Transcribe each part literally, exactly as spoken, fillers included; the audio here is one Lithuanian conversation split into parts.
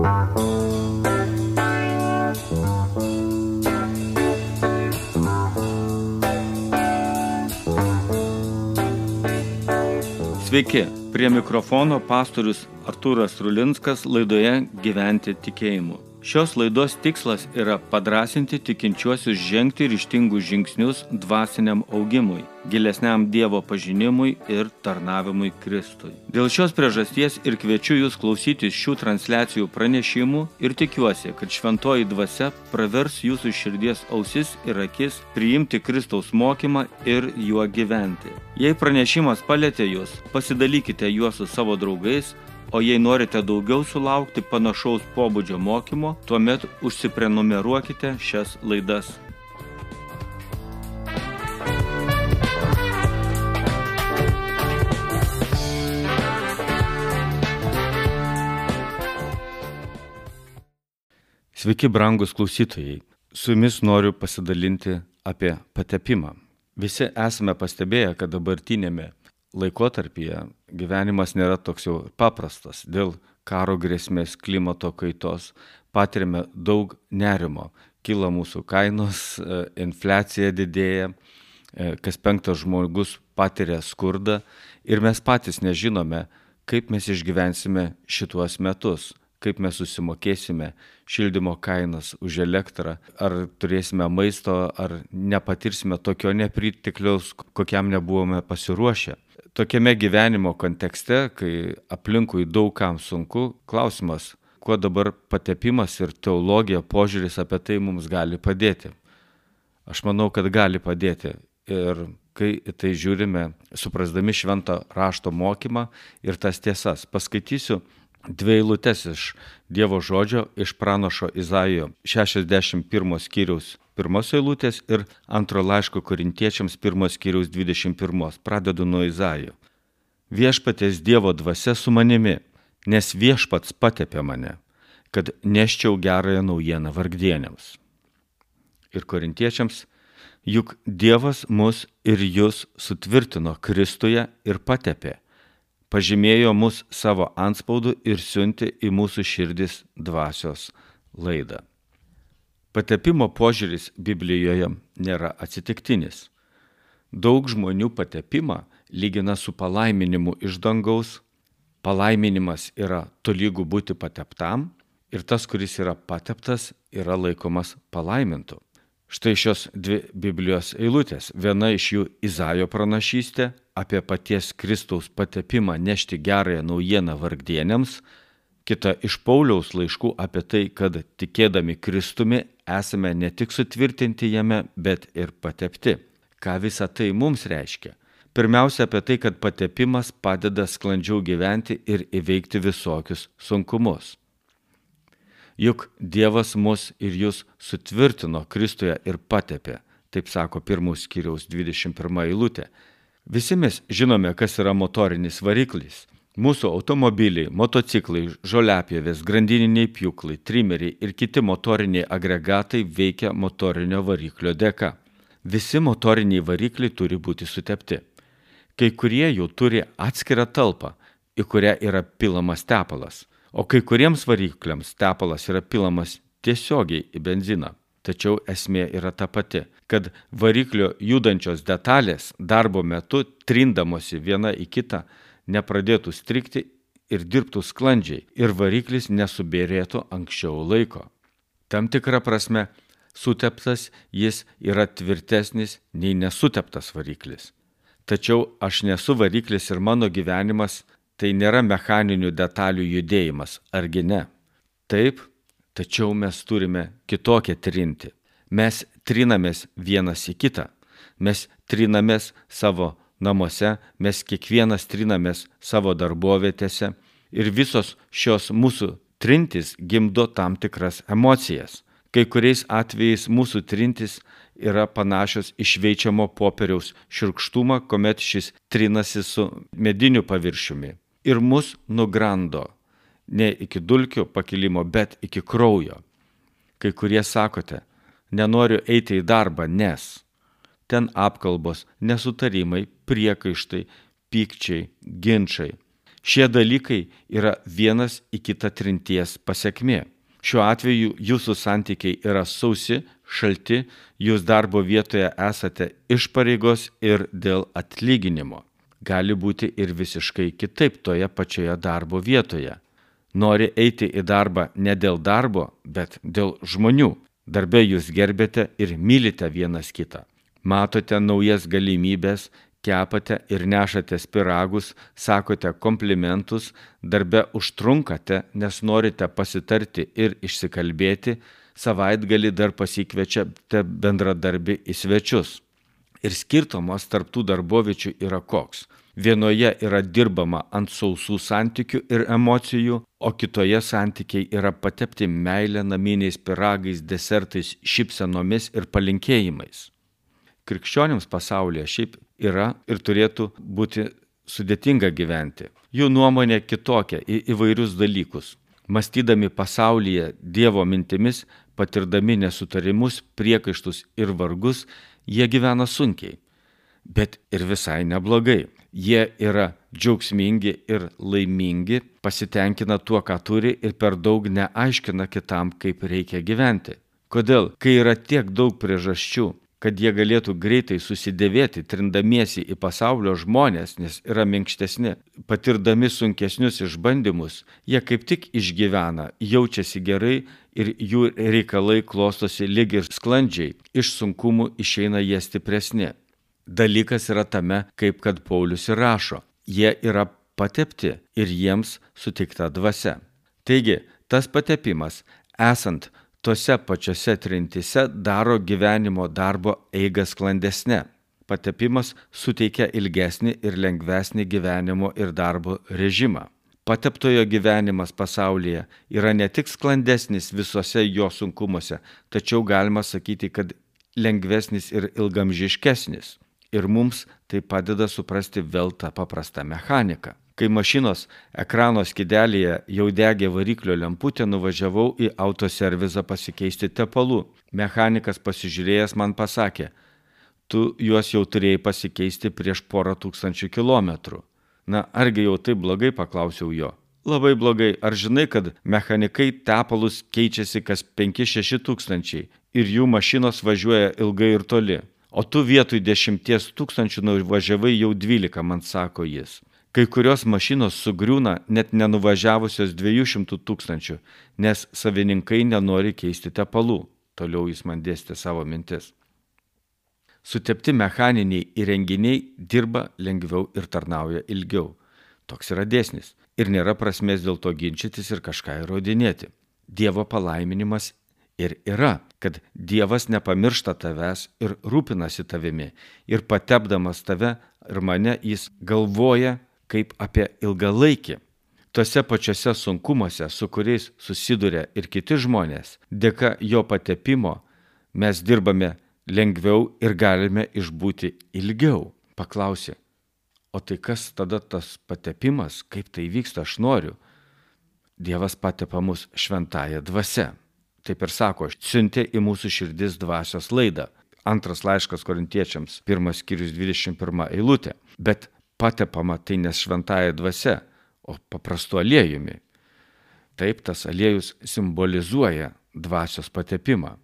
Sveiki, prie mikrofono pastorius Artūras Rulinskas laidoje Gyventi tikėjimu. Šios laidos tikslas yra padrąsinti tikinčiuosius žengti ryžtingus žingsnius dvasiniam augimui, gilesniam Dievo pažinimui ir tarnavimui Kristui. Dėl šios priežasties ir kviečiu jūs klausytis šių transliacijų pranešimų ir tikiuosi, kad šventoji dvasia pravers jūsų širdies ausis ir akis priimti Kristaus mokymą ir juo gyventi. Jei pranešimas palietė jūs, pasidalykite juos su savo draugais, o jei norite daugiau sulaukti panašaus pobūdžio mokymo, tuomet užsiprenumeruokite šias laidas. Sveiki, brangus klausytojai. Su jumis noriu pasidalinti apie patepimą. Visi esame pastebėję, kad dabartinėme laikotarpyje gyvenimas nėra toks jau paprastas. Dėl karo grėsmės, klimato kaitos patiriame daug nerimo. Kyla mūsų kainos, infliacija didėja, kas penktas žmogus patiria skurdą ir mes patys nežinome, kaip mes išgyvensime šituos metus, kaip mes susimokėsime šildymo kainas už elektrą, ar turėsime maisto, ar nepatirsime tokio nepritekliaus, kokiam nebuvome pasiruošę. Tokiame gyvenimo kontekste, kai aplinkui daug kam sunku, klausimas, kuo dabar patepimas ir teologija, požiūris apie tai mums gali padėti. Aš manau, kad gali padėti. Ir kai tai žiūrime, suprasdami švento rašto mokymą ir tas tiesas, paskaitysiu dvi eilutes iš Dievo žodžio, iš pranašo Izaijo šešiasdešimt pirmo skyriaus pirmos eilutės ir antro laiško korintiečiams pirmos skyriaus dvidešimt pirmos. Pradedu nuo Izaijo. Viešpaties Dievo dvasia su manimi, nes viešpats patepė mane, kad neščiau gerąją naujieną vargdieniams. Ir korintiečiams, juk Dievas mus ir jus sutvirtino Kristuje ir patepė, pažymėjo mus savo antspaudu ir siuntė į mūsų širdis dvasios laidą. Patepimo požiūris Biblijoje nėra atsitiktinis. Daug žmonių patepimą lygina su palaiminimu iš dangaus. Palaiminimas yra tolygu būti pateptam ir tas, kuris yra pateptas, yra laikomas palaimintu. Štai šios dvi Biblijos eilutės. Viena iš jų Izaijo pranašystė apie paties Kristaus patepimą nešti gerąją naujieną vargdieniams, kita iš Pauliaus laiškų apie tai, kad tikėdami Kristumi esame ne tik sutvirtinti jame, bet ir patepti. Ką visa tai mums reiškia? Pirmiausia apie tai, kad patepimas padeda sklandžiau gyventi ir įveikti visokius sunkumus. Juk Dievas mus ir jūs sutvirtino Kristuje ir patepė, taip sako pirmos skyriaus dvidešimt pirma eilutė. Visi mes žinome, kas yra motorinis variklis. Mūsų automobiliai, motociklai, žoliapjovės, grandininiai pjūklai, trimeriai ir kiti motoriniai agregatai veikia motorinio variklio dėka. Visi motoriniai varikliai turi būti sutepti. Kai kurie jų turi atskirą talpą, į kurią yra pilamas tepalas, o kai kuriems varikliams tepalas yra pilamas tiesiogiai į benziną. Tačiau esmė yra ta pati, kad variklio judančios detalės darbo metu trindamosi viena į kitą nepradėtų strigti ir dirbtų sklandžiai ir variklis nesubėrėtų anksčiau laiko. Tam tikra prasme, suteptas jis yra tvirtesnis nei nesuteptas variklis. Tačiau aš nesu variklis ir mano gyvenimas tai nėra mechaninių detalių judėjimas, argi ne? Taip, tačiau mes turime kitokią trinti. Mes trinamės vienas į kitą. Mes trinamės savo namuose, mes kiekvienas trinamės savo darbovietėse ir visos šios mūsų trintis gimdo tam tikras emocijas. Kai kuriais atvejais mūsų trintis yra panašios į šveičiamo popieriaus šiurkštumą, kuomet šis trinasi su mediniu paviršiumi ir mus nugrando ne iki dulkių pakilimo, bet iki kraujo. Kai kurie sakote, nenoriu eiti į darbą, nes ten apkalbos, nesutarimai, priekaištai, pykčiai, ginčai. Šie dalykai yra vienas į kitą trinties pasekmė. Šiuo atveju jūsų santykiai yra sausi, šalti, jūs darbo vietoje esate iš pareigos ir dėl atlyginimo. Gali būti ir visiškai kitaip toje pačioje darbo vietoje. Nori eiti į darbą ne dėl darbo, bet dėl žmonių. Darbe jūs gerbėte ir mylite vienas kitą. Matote naujas galimybės, kepate ir nešate pyragus, sakote komplimentus, darbe užtrunkate, nes norite pasitarti ir išsikalbėti, savaitgalį dar pasikviečiate bendradarbį į svečius. Ir skirtumas tarp tų darboviečių yra koks. Vienoje yra dirbama ant sausų santykių ir emocijų, o kitoje santykiai yra patepti meilę naminiais pyragais, desertais, šypsenomis ir palinkėjimais. Krikščionims pasaulyje šiaip yra ir turėtų būti sudėtinga gyventi. Jų nuomonė kitokia į įvairius dalykus. Mąstydami pasaulyje Dievo mintimis, patirdami nesutarimus, priekaištus ir vargus, jie gyvena sunkiai, bet ir visai neblogai. Jie yra džiaugsmingi ir laimingi, pasitenkina tuo, ką turi ir per daug neaiškina kitam, kaip reikia gyventi. Kodėl? Kai yra tiek daug priežasčių, kad jie galėtų greitai susidėvėti, trindamiesi į pasaulio žmonės, nes yra minkštesni, patirdami sunkesnius išbandymus, jie kaip tik išgyvena, jaučiasi gerai ir jų reikalai klostosi lyg ir sklandžiai, iš sunkumų išeina jie stipresni. Dalykas yra tame, kaip kad Paulius ir rašo, jie yra patepti ir jiems suteikta dvasia. Taigi, tas patepimas, esant tose pačiose trintyse, daro gyvenimo darbo eigą sklandesnę. Patepimas suteikia ilgesnį ir lengvesnį gyvenimo ir darbo režimą. Pateptojo gyvenimas pasaulyje yra ne tik sklandesnis visose jo sunkumuose, tačiau galima sakyti, kad lengvesnis ir ilgamžiškesnis. Ir mums tai padeda suprasti vėl tą paprastą mechaniką. Kai mašinos ekrano skydelėje jau degė variklio lemputė, nuvažiavau į autoservizą pasikeisti tepalų. Mechanikas pasižiūrėjęs man pasakė, tu juos jau turėjai pasikeisti prieš porą tūkstančių kilometrų. Na, argi jau taip blogai, paklausiau jo. Labai blogai, ar žinai, kad mechanikai tepalus keičiasi kas penki šeši tūkstančiai ir jų mašinos važiuoja ilgai ir toli. O tu vietoj dešimties tūkstančių nuvažiavai jau dvylika, man sako jis. Kai kurios mašinos sugriūna net nenuvažiavusios dviejų šimtų tūkstančių, nes savininkai nenori keisti tepalų. Toliau jis man dėstė savo mintis. Sutepti mechaniniai įrenginiai dirba lengviau ir tarnauja ilgiau. Toks yra dėsnis. Ir nėra prasmės dėl to ginčytis ir kažką įrodinėti. Dievo palaiminimas ir yra, kad Dievas nepamiršta tavęs ir rūpinasi tavimi. Ir patepdamas tave ir mane jis galvoja kaip apie ilgalaikį. Tose pačiose sunkumuose, su kuriais susiduria ir kiti žmonės, dėka jo patepimo mes dirbame lengviau ir galime išbūti ilgiau. Paklausė, o tai kas tada tas patepimas, kaip tai vyksta, aš noriu. Dievas patepa mus šventąja dvasia. Taip ir sako, siuntė į mūsų širdis dvasios laidą. Antras laiškas Korintiečiams, pirmas skyrius dvidešimt pirma eilutė. Bet patepama tai ne šventąja dvasia, o paprastu aliejumi. Taip, tas aliejus simbolizuoja dvasios patepimą.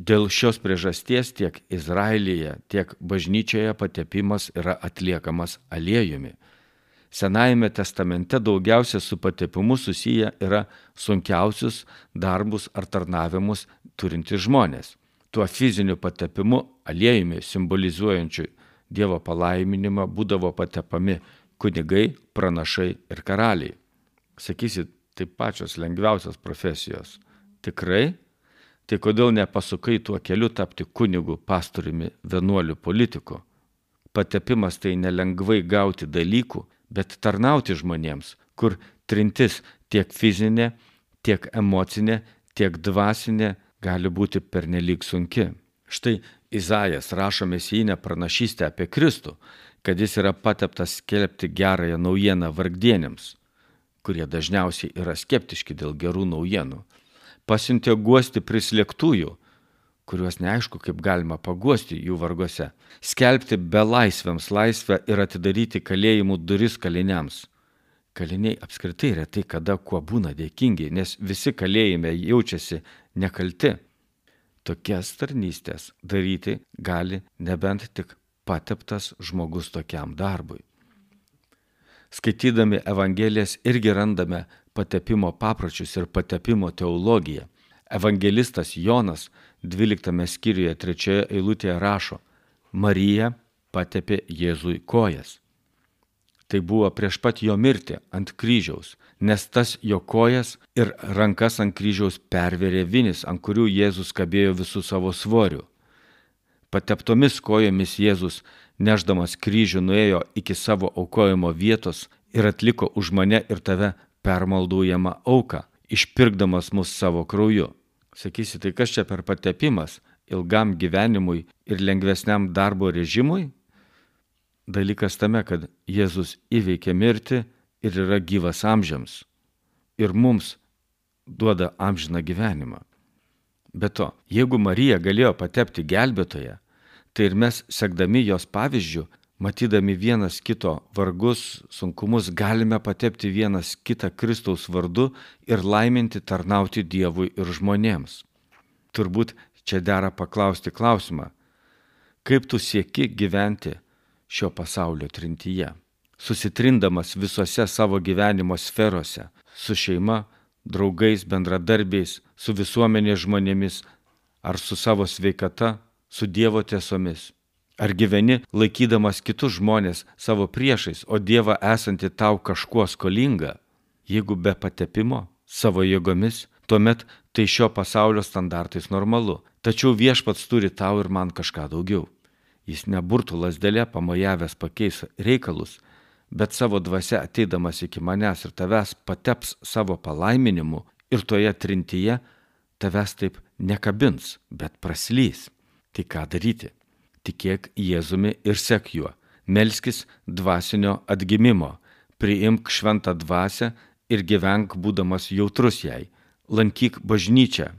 Dėl šios priežasties tiek Izraelyje, tiek bažnyčioje patepimas yra atliekamas aliejumi. Senajame testamente daugiausia su patepimu susiję yra sunkiausius darbus ar tarnavimus turintys žmonės. Tuo fiziniu patepimu aliejumi simbolizuojančiu Dievo palaiminimą būdavo patepami kunigai, pranašai ir karaliai. Sakysit, tai pačios lengviausios profesijos. Tikrai? Tai kodėl nepasukai tuo keliu tapti kunigu, pastoriumi, vienuoliu, politiku? Patepimas tai nelengvai gauti dalykų, bet tarnauti žmonėms, kur trintis tiek fizinė, tiek emocinė, tiek dvasinė gali būti pernelyg sunki. Štai Izajas rašo mesijinę pranašystę apie Kristų, kad jis yra pateptas skelbti gerąją naujieną vargdieniams, kurie dažniausiai yra skeptiški dėl gerų naujienų. Pasiuntė guosti prislėgtųjų, kuriuos neaišku, kaip galima paguosti jų vargose, skelbti belaisviams laisvę ir atidaryti kalėjimų duris kaliniams, kaliniai apskritai retai kada kuo būna dėkingi, nes visi kalėjime jaučiasi nekalti. Tokias tarnystės daryti gali nebent tik pateptas žmogus tokiam darbui. Skaitydami Evangelijas irgi randame patepimo papročius ir patepimo teologiją. Evangelistas Jonas dvyliktame skyriuje trečioje eilutėje rašo: Marija patepė Jėzui kojas. Tai buvo prieš pat jo mirtį ant kryžiaus, nes tas jo kojas ir rankas ant kryžiaus pervėrė vinis, ant kurių Jėzus kabėjo visų savo svoriu. Pateptomis kojomis Jėzus, nešdamas kryžių, nuėjo iki savo aukojimo vietos ir atliko už mane ir tave permaldaujamą auką, išpirkdamas mus savo krauju. Sakysi, tai kas čia per patepimas ilgam gyvenimui ir lengvesniam darbo režimui? Dalykas tame, kad Jėzus įveikė mirtį ir yra gyvas amžiams ir mums duoda amžiną gyvenimą. Be to, jeigu Marija galėjo patepti gelbėtoją, tai ir mes, sekdami jos pavyzdžių, matydami vienas kito vargus, sunkumus, galime patepti vienas kitą Kristaus vardu ir laiminti tarnauti Dievui ir žmonėms. Turbūt čia dera paklausti klausimą: kaip tu sieki gyventi šio pasaulio trintyje, susitrindamas visose savo gyvenimo sferose, su šeima, draugais, bendradarbiais, su visuomenės žmonėmis, ar su savo sveikata, su Dievo tiesomis? Ar gyveni laikydamas kitus žmonės savo priešais, o Dievą esantį tau kažkuo skolingą? Jeigu be patepimo, savo jėgomis, tuomet tai šio pasaulio standartais normalu. Tačiau Viešpats turi tau ir man kažką daugiau. Jis neburtų lasdelė pamojavęs pakeis reikalus, bet savo dvasia ateidamas iki manęs ir tavęs pateps savo palaiminimu ir toje trintyje tavęs taip nekabins, bet praslys. Tai ką daryti? Tikėk Jėzumi ir sek juo. Melskis dvasinio atgimimo. Priimk šventą dvasią ir gyvenk būdamas jautrus jai. Lankyk bažnyčią.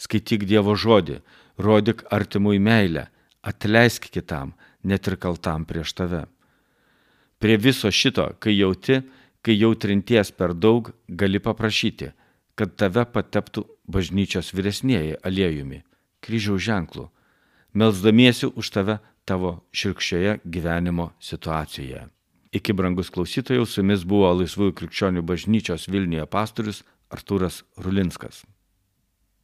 Skaityk Dievo žodį. Rodyk artimui meilę. Atleisk kitam, net ir kaltam prieš tave. Prie viso šito, kai jauti, kai jau trinties per daug, gali paprašyti, kad tave pateptų bažnyčios vyresnieji aliejumi, kryžiaus ženklu, melsdamiesi už tave tavo širkščioje gyvenimo situacijoje. Iki, brangus klausytojai, su jumis buvo Laisvųjų krikščionių bažnyčios Vilniuje pastorius Artūras Rulinskas.